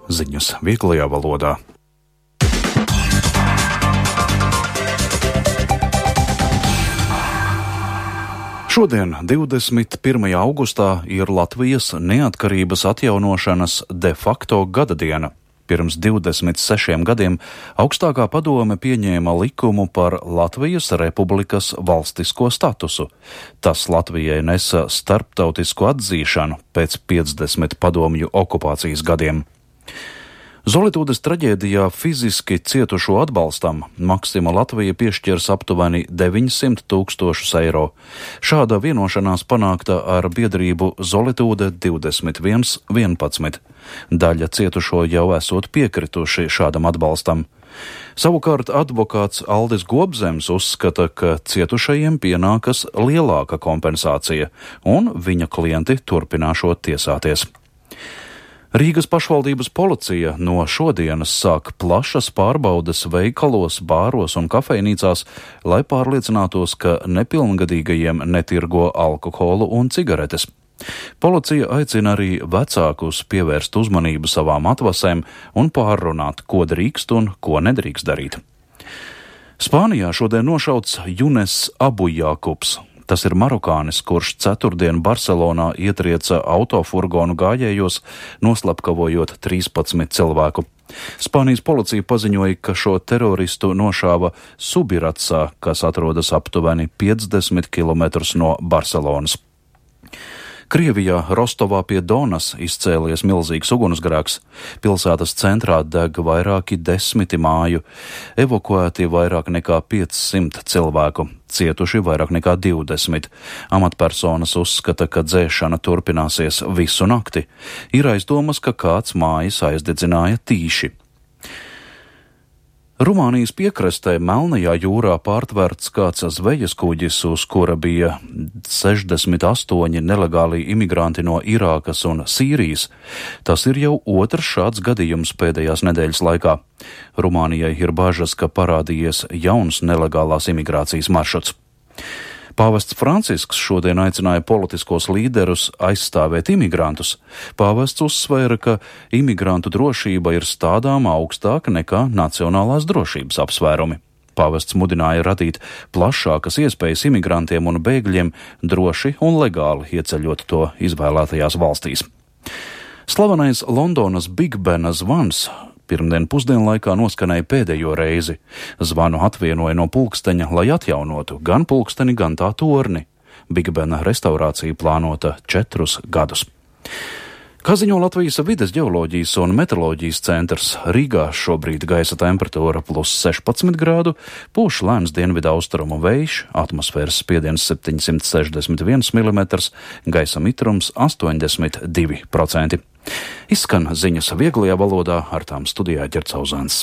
ziņas vieglajā valodā. Šodien, 21. augustā, ir Latvijas neatkarības atjaunošanas de facto gada diena. Pirms 26 gadiem augstākā padome pieņēma likumu par Latvijas Republikas valstisko statusu. Tas Latvijai nesa starptautisku atzīšanu pēc 50 padomju okupācijas gadiem. Zolitūdes traģēdijā fiziski cietušo atbalstam Maksima Latvija piešķirs aptuveni 900 000 eiro. Šāda vienošanās panākta ar biedrību Zolitūde 2111. Daļa cietušo jau esot piekrituši šādam atbalstam. Savukārt advokāts Aldis Gobzems uzskata, ka cietušajiem pienākas lielāka kompensācija, un viņa klienti turpināšot tiesāties. Rīgas pašvaldības policija no šodienas sāk plašas pārbaudes veikalos, bāros un kafejnīcās, lai pārliecinātos, ka nepilngadīgajiem netirgo alkoholu un cigaretes. Policija aicina arī vecākus pievērst uzmanību savām atvasēm un pārrunāt, ko drīkst un ko nedrīkst darīt. Spānijā šodien nošauts Junes Abujakubs. Tas ir marokānis, kurš ceturtdien Barcelonā ietrieca autofurgonu gājējos, noslapkavojot 13 cilvēku. Spānijas policija paziņoja, ka šo teroristu nošāva Subiratsā, kas atrodas aptuveni 50 km no Barcelonas. Krievijā Rostovā pie Donas izcēlies milzīgs ugunsgrēks. Pilsētas centrā deg vairāki 10 māju, evakuēti vairāk nekā 500 cilvēku, cietuši vairāk nekā 20. Amatpersonas uzskata, ka dzēšana turpināsies visu nakti. Ir aizdomas, ka kāds mājas aizdedzināja tīši. Rumānijas piekrastē Melnajā jūrā pārtverts kāds zvejas kuģis, uz kura bija 68 nelegāli imigranti no Irākas un Sīrijas. Tas ir jau otrs šāds gadījums pēdējās nedēļas laikā. Rumānijai ir bažas, ka parādījies jauns nelegālās imigrācijas maršruts. Pāvests Francisks šodien aicināja politiskos līderus aizstāvēt imigrantus. Pāvests uzsvēra, ka imigrantu drošība ir stādām augstāka nekā nacionālās drošības apsvērumi. Pāvests mudināja radīt plašākas iespējas imigrantiem un bēgļiem droši un legāli ieceļot to izvēlētajās valstīs. Slavenais Londonas Big Bena zvans pirmdien pusdienlaikā noskanēja pēdējo reizi. Zvanu atvienoja no pulksteņa, lai atjaunotu gan pulksteni, gan tā torni. Big Bena restaurācija plānota 4 gadus. Kā ziņo Latvijas vides ģeoloģijas un meteoroloģijas centrs, Rīgā šobrīd gaisa temperatūra +16 grādu, pūš lēns dienvidaustrumu vējš, atmosfēras spiediens 761 mm, gaisa mitrums 82%. Izskan ziņas vieglajā valodā, ar tām studijā Ģercauzāns.